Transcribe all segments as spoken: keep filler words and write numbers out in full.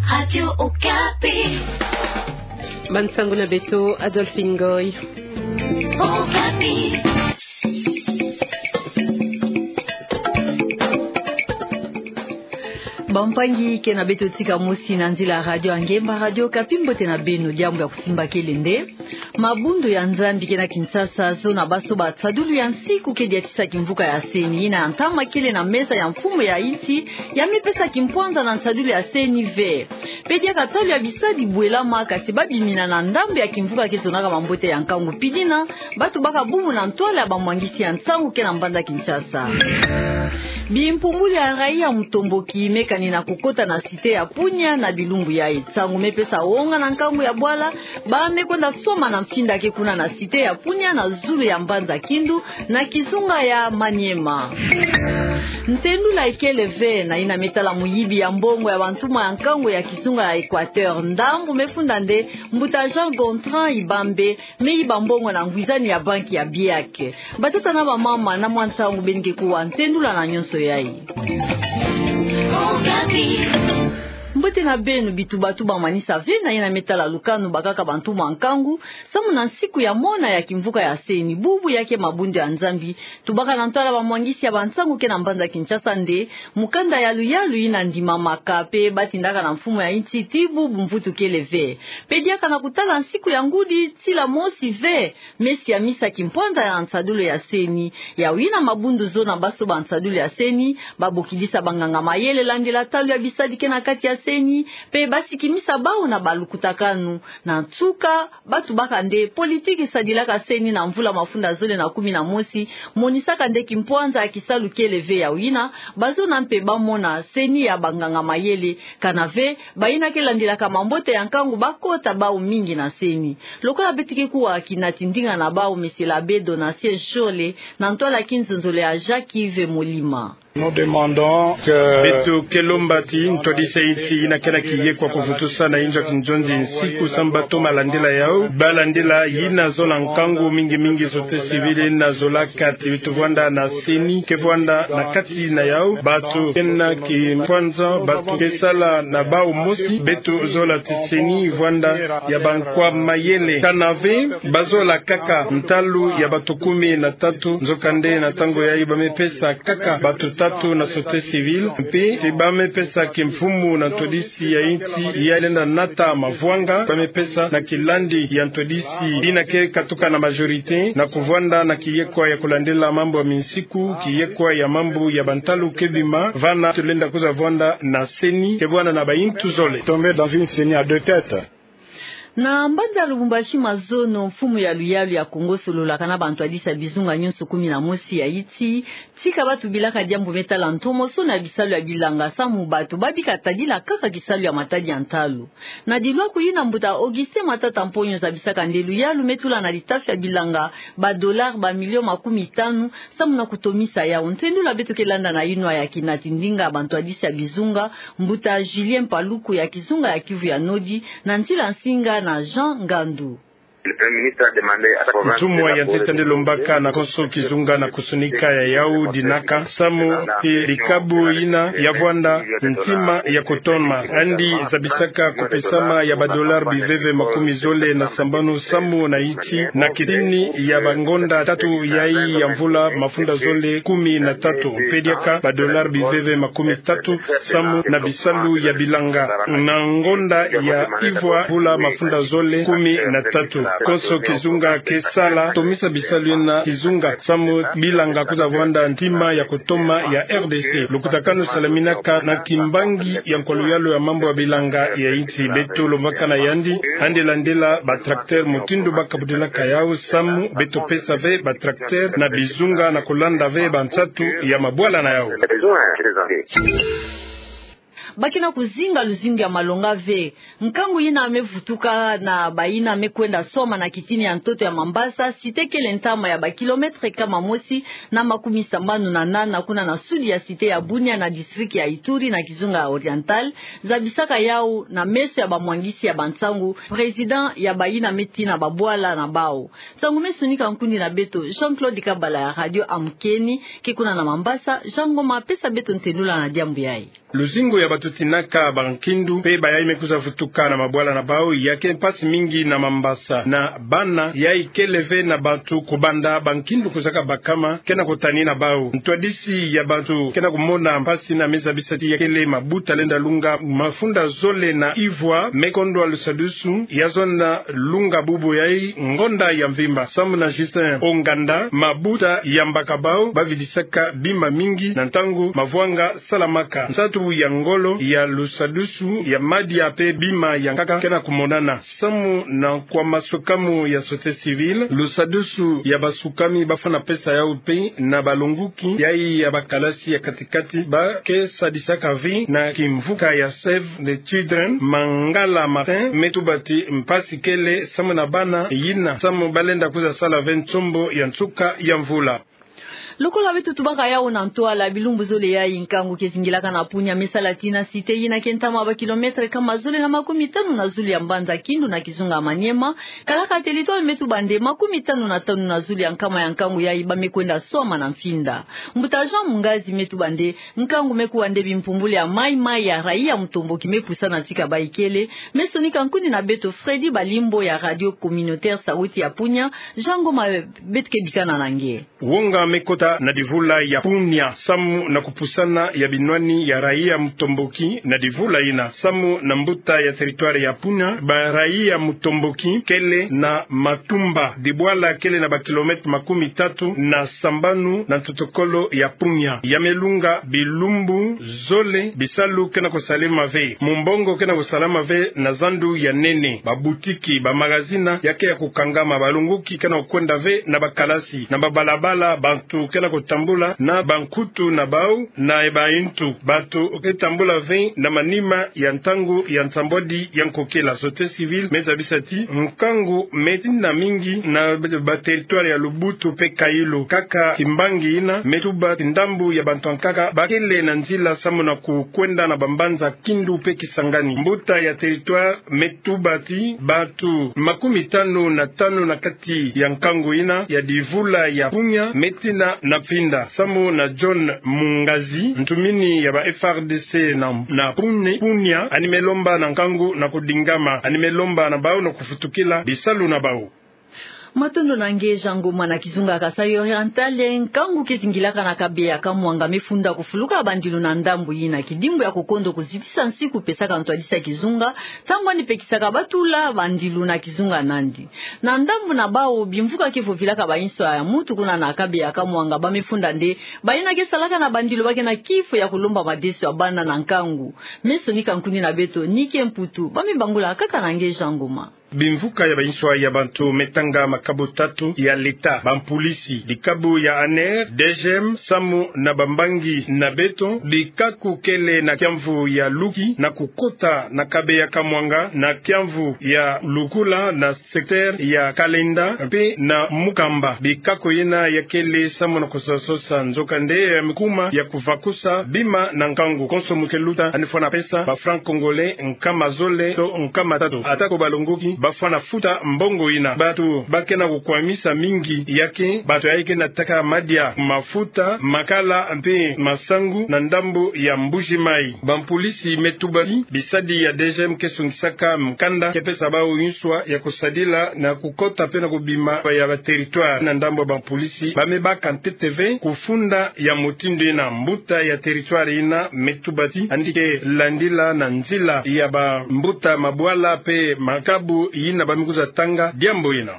Radio Okapi. Bansango na beto, Adolphine Ngoy. Okapi. Bampangi, ke na beto tika mosi na nzila Radio Angemba, Radio Okapi, mbote na beno. Diambu ya kusimba kele nde mabundu ya Nzambi ke na Kinshasa, zona basoba nsadulu ya nsiku ke diatisa kimvuka ya CENI, yina ya ntama kele na mesa ya mfumu ya insi, ya mipesa kimpwanza na nsadulu ya CENI ve. Pe diaka ntalu ya bisadi bwelama, kasi babimina na ndambu ya kimvuka ke zonaka mambote ya nkangu pidina, bato baka bubu na ntwala ya bamwangisi ya nsangu ke na mbanza Kinshasa. Bimpumbulu ya raia mutomboki mekani na kukota na cité ya Punia na bilumbu yai. Nsangu mepesa wonga na nkangu ya bwala, ba mekwenda soma na mfinda ke kuna na cité ya Punia na zulu ya mbanza Kindu na kizunga ya Maniema. Ntendula ikele ve na yina metala muyibi ya mbongo ya bantuma ya nkangu ya kizunga ya Equateur. Ndambu mefunda nde mbuta Jean Gontran Ibambe, meyiba mbongo na ngwizani ya banki ya BIAC. Batata na bamama na mwa nsangu beni ke kuwa ntendula na nyonso yai. Mbote na beno. Bitubatuba manisa ve na yina metala lukanu bakaka bantuma ya nkangu, samu na nsiku ya mona ya kimvuka ya CENI, bubu ya ke mabundu ya Nzambi, tubaka na ntwala bamwangisi ya bansangu ke na mbanza Kinshasa nde mukanda ya luyalu yina ndimamaka pe batindaka na mfumu ya insi ti bubu mvutu kele ve. Pe diaka na kutala nsiku ya ngudi, tila mosi ve, mesi ya misa kimpwanza ya nsadulu ya CENI. Yawu yina mabundu zona basoba nsadulu ya CENI, babokidisa banganga mayele landila ntalu ya bisadi ke na kati ya CENI, pe basikimisa bawu na balukutakanu. Na nsuka, batubaka nde politiki sadilaka CENI na mvula mafunda zole na kumi na mosi monisaka nde kimpwanza ya kisalu kele ve. Yawu yina, bazona mpe bamona CENI ya banganga mayele, kana ve bayina ke landilaka mambote ya nkangu bakota bawu mingi na CENI. Lokola beto ke kuwa kinati ndinga na bawu, Monsieur l'Abbé Donatien Shole, na ntwala ya kinzonzolo ya Jacques Yves Molima. Nous demandons que... Beto ke lomba ti ntwadisi ya insi yina ke na kiyekwa kuvutusa na inzo ya kinzonzi nsiku samu batoma landila yawu, balandila yina zola nkangu mingi mingi, société civile yina zolaka ti beto vwanda na CENI ke vwanda na kati na yawu. Bato ke na kimpwanza, bato ke sala na bawu mosi. Beto zola ti CENI vwanda ya bankwa mayele, kana ve bazola kaka ntalu ya bato kumi na tatu, nzokande na ntangu yayi bamepesa kaka bato tatu na société civile, mpe ti bamepesa kimfumu na ntwadisi ya insi ya lenda nata mavwanga, bamepesa na kilandi ya ntwadisi yina ke katuka na majorité, na kuvwanda na kiyekwa ya kulandila mambu ya minsiku, kiyekwa ya mambu ya bantalu ke bima, vana tulenda kwiza vwanda na CENI ke vwanda na bayintu zole. Tomber dans une CENI à deux têtes. Na mbanza Lubumbashi mazono, mfumu ya luyalu ya Kongo sololaka na bantwadisi ya bizunga nyonso kumi na mosi ya insi, tika batubilaka diambu metala ntomosono ya bisalu ya bilanga samu bato babika tadila kaka kisalu ya matadi ya ntalu. Na dilwaku yina, mbuta Augustin Matata Mponyo zabisaka nde luyalu metula na litafi ya bilanga ba dollars ba millions makumi tanu, samu na kutomisa yawu. Ntendula beto ke landa na yinwa ya kinati ndinga bantwadisi ya bizunga, mbuta Julien Paluku ya kizunga ya Kivu ya Nodi, na nzila nsinga na Jean Ngandu. Ntumwa ya ntete nde lombaka na konso kizunga na kusonika ya yawu dinaka samu ti likabu yina ya vwanda ntima ya kutoma. Andi zabisaka kupesama ya ba dollars biveve makumi zole na sambanu samu na insi na kitini ya bangonda tatu yayi ya mvula mafunda zole kumi na tatu, mpe diaka ba dollars biveve makumi tatu samu na bisalu ya bilanga. Na ngonda ya ivwa mvula mafunda zole kumi na tatu, konso kizunga ke sala tomisa bisalu yina kizunga samu bilanga kwiza vwanda ntima ya kutoma ya RDC. Lukutakanu salaminaka na kimbangi ya nkwa luyalu ya mambu ya bilanga ya insi. Beto lombaka na yandi, andi landila ba tracteurs mutindu bakabudilaka yawu samu beto pesa ve ba tracteurs na bizunga na kulanda ve bansatu ya mabwala na yawu. Ba ke na kuzinga luzingu ya malonga ve. Nkangu yina mevutuka na bayina mekwenda swama na kitini ya ntoto ya Mambasa, cité kele ntama ya ba kilomètres kama mosi na makumi sambanu na nana, kuna na sud ya cité ya Bunia na district ya Ituri na kizunga ya Oriental, zabisaka yawu na meso ya bamwangisi ya bansangu, président ya bayina metina babwala na bawu. Nsangu mesonika nkundi na beto Jean-Claude Kabala ya Radio Amkeni, ke kuna na Mambasa, Jean Ngoma pesa beto ntendula na diambu yayi. Luzingu ya bato sutinaka bankindu, pe bayayi me kwiza vutuka na mabwala na bau, ya ke mpasi mingi na Mambasa. Na bana, yayi kele ve na bantu kubanda bankindu kwizaka bakama, ke na kutani na bau. Ntwadisi ya bantu ke na kumona mpasi na me zabisa ti ya kele mabuta lenda lunga mafunda zole na ivwa, me kondwa lusadusu ya zonza lunga bubu yayi ngonda ya mvimba. Samu na Justin Onganda, mabuta ya mbaka bau bavidisaka bima mingi na ntangu mavwanga salamaka. Nsatu ya ngolo ya lusadusu ya madia pe bima ya nkaka ke na kumonana. Samu na nkwa masukami ya société civile, lusadusu ya basukami bafwana pesa yau pe na balonguki yayi ya bakalasi ya katikati ba ke sadisaka ve na kimvuka ya Save the Children. Mangala Martin me tuba ti mpasi kele samu na bana yina, samu balenda kwiza sala ve nsombo ya nsuka ya mvula. Lokola beto tubaka yau na ntwala, bilumbu zole yayi nkangu ke zingilaka na Punia me sala tii na cité yina ke ntama ba kilomètre nkama zole na makumitanu na zulu ya mbanza Kindu na kizunga Maniema, kalaka territoire me tuba nde makumitanu na tanu na zulu ya nkama ya nkangu yayi ba me kwenda swama na mfinda. Mbuta Jean Mungazi me tuba nde nkangu me kuwa nde bimpumbulu ya mayi-mayi ya raia mutomboki me pusana tika bayi kele. Me sonika nkuni na beto Freddy Balimbo ya Radio Communautaire Sauti ya Punia. Jean Ngoma, beto ke bikana na nge. Wonga me kota na divula ya Punia samu na kupusana ya binwani ya raia mutomboki na divula yina. Samu na mbuta ya territoire ya Punia, ba raia mutomboki kele na Matumba, dibwala kele na ba kilomètre makumitatu na sambanu na ntotokolo ya Punia. Ya me lunga bilumbu zole, bisalu ke na kusalama ve, mumbongo ke na kusalama ve na zandu ya nene, babutiki, bamagazini ya ke ya kukangama, balonguki ke na kwenda ve na bakalasi, na babalabala bantu ke na kutambula na bankutu na bau na bayintu. Bantu ke tambula ve na manima ya ntangu ya nsambwadi ya nkokila. Société civile me zabisa ti nkangu me tina mingi na ba territoire ya Lubutu pe Kayilu. Kaka Kimbangi yina me tuba ti ndambu ya bantu ya nkaka ba kele na nzila samu na kukwenda na bambanza Kindu pe Kisangani. Mbuta ya territoire me tuba ti bantu makumitanu na tanu na kati ya nkangu yina ya divula ya Punia me tina na mfinda. Samu na John Mungazi, ntumini ya ba F A R D C na, na Punia, Punia, yandi me lomba na nkangu na kudingama, yandi me lomba na bau na kufutukila bisalu na bau. Matondo na nge Jean Ngoma. Na kizunga Kasaï Oriental, nkangu ke zingilaka na Kabeya Kamwanga me funda kufuluka bandilu na ndambu yina. Kidimbu ya kukondo kuzitisa nsi kupesaka ntwadisi ya kizunga, ntangu yandi pekisaka batula bandilu na kizunga nandi. Na ndambu na bau, bimvuka ke vovilaka bayinswa ya muntu kuna na Kabeya Kamwanga ba me funda nde bayina ke salaka na bandilu ba ke na kifu ya kulomba madeso ya bana na nkangu. Me sonika nkuni na beto Nike Mputu, ba me bangula kaka na nge Jean Ngoma. Bimvuka ya bayinswa ya bantu me tanga makabu tatu ya leta: bampulisi, bikabu ya ANR, DGM, samu na bambangi na beto. Bikaku kele na kiamvu ya Luki na kukota na Kabeya Kamwanga, na kiamvu ya Lukula na secteur ya Kalenda, mpe na Mukamba. Bikaku yina ya kele samu na kusososa, nzokande ya me kuma ya kuvakusa bima na nkangu. Konso mu ke luta, yandi fwana pesa ba francs congolais nkama zole to nkama tatu. Atako balonguki ba fwana futa mbongo yina. Bantu ba ke na kukwamisa mingi ya ke bantu yayi ke na taka madia, mafuta, makala mpe masangu na ndambu ya Mbuji Mayi. Bampulisi me tuba ti bisadi ya DGM ke songisaka mukanda ke pesa bau yinswa ya kusadila na kukota mpe na kubima ya ba territoire. Na ndambu ya bampulisi, ba me baka ntete ve kufunda ya mutindu yina. Mbuta ya territoire yina me tuba ti yandi ke landila na nzila ya bambuta mabwala mpe makabu yina ba me kwiza tanga diambu yina.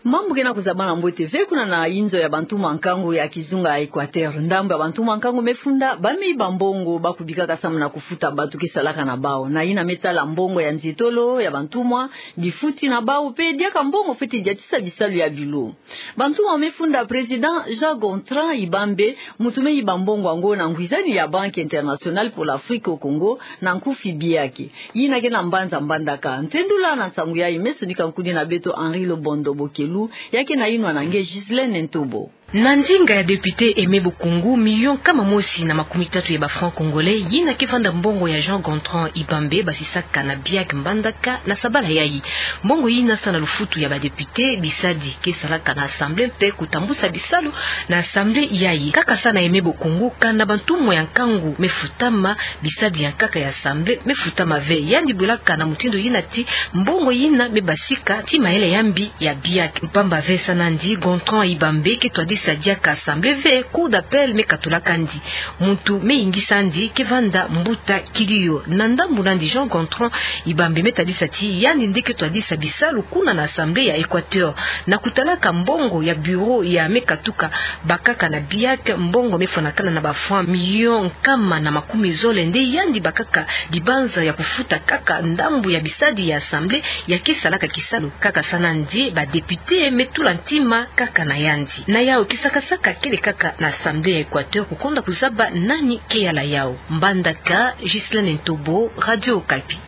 Mambu ke na kuzabana mbote ve kuna na inzo ya bantumwa nkangu ya kizunga Equateur. Ndambu ya bantumwa nkangu me funda ba me yiba mbongo ba kubikaka samu na kufuta bantu ke salaka na bau. Na yina me tala mbongo ya nzietolo ya bantumwa, difuti na bau mpe diaka mbongo fweti diatisa bisalu ya bilo. Bantumwa me funda Président Jean Gontran Ibambe, muntu me yiba mbongo yango na ngwizani ya Banque Internationale pour l'Afrique au Congo, na nkufi biaki. Yina ke na mbanza Mbandaka. Ntendula na nsangu yayi, me sonika nkuni na beto Henri Lobondo Bokelu, ya ke na yinwa na nge Ghislaine Ntobo. Na ndinga ya député Aimé Bokoungou, milion nkama mosi na makumi tatu ya ba francs congolais, yina ke vanda mbongo ya Jean Gontran Ibambe basisaka na biak mbandaka na sabala yayi. Mbongo yina sa na lufutu ya ba député, bisadi ke salaka na assemblée mpe kutambusa bisalu na assemblée yayi. Kaka sa na Aimé Bokoungou, kanda bantumwa ya nkangu me futama, bisadi ya nkaka ya assemblée me futama ve. Yandi bwelaka na mutindu yina ti mbongo yina me basika ti mayele ya mbi ya biak. Mpamba ve sa nandi, Gontran Ibambe ke twadisa diaka assemblée ve, cour d'appel me katulaka ndi. Muntu me yingisa ndi ke vanda mbuta Kiliyo. Na ndambu nandi, Jean Gontran Ibambe me tadisa ti yandi nde ke twadisa bisalu kuna na assemblée ya Équateur. Na kutalaka mbongo ya bureau ya me katuka bakaka na biak, mbongo me fwanakana na ba francs milion nkama na makumi zole, nde yandi bakaka dibanza ya kufuta kaka ndambu ya bisadi ya assemblée ya ke salaka kisalu. Kaka sa nandi, ba député me tula ntima kaka na yandi. Na yau, kisakasaka kele kaka na assemblée ya Équateur, kukonda kuzaba nani ke yala yau. Mbandaka, Ghislaine Ntobo, Radio Okapi.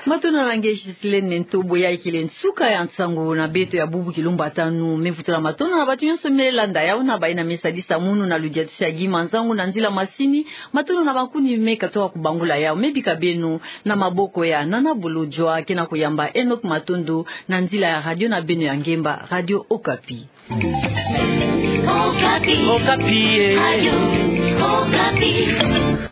Matondo na nge Ghislaine Ntobo, yayi kele nsuka ya nsangu na beto ya bubu kilumbata nu. Me vutula matondo na bato nyonso me landa yau, na bayina me sadisa munu na ludiatisi ya Guy Manzangu na nzila masini. Matondo na bankuni me katoka kubangula yau. Me bika beno na maboko ya Nana Bolodjwa, ke na kuyamba Enoch Matondo na nzila ya radio na beno ya ngemba, Radio Okapi. Okapi. Okapi, eh. Radio Okapi.